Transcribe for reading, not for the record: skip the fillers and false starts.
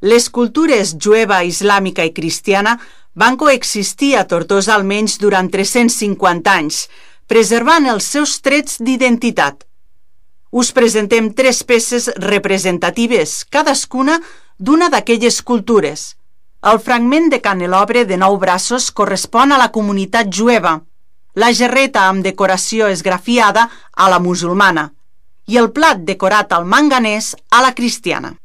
Les cultures jueva, islàmica i cristiana van coexistir a Tortosa almenys durant 350 anys, preservant els seus trets d'identitat. Us presentem 3 peces representatives, cadascuna d'una d'aquelles cultures. El fragment de canelobre de 9 braços correspon a la comunitat jueva, la gerreta amb decoració esgrafiada a la musulmana i el plat decorat al manganès a la cristiana.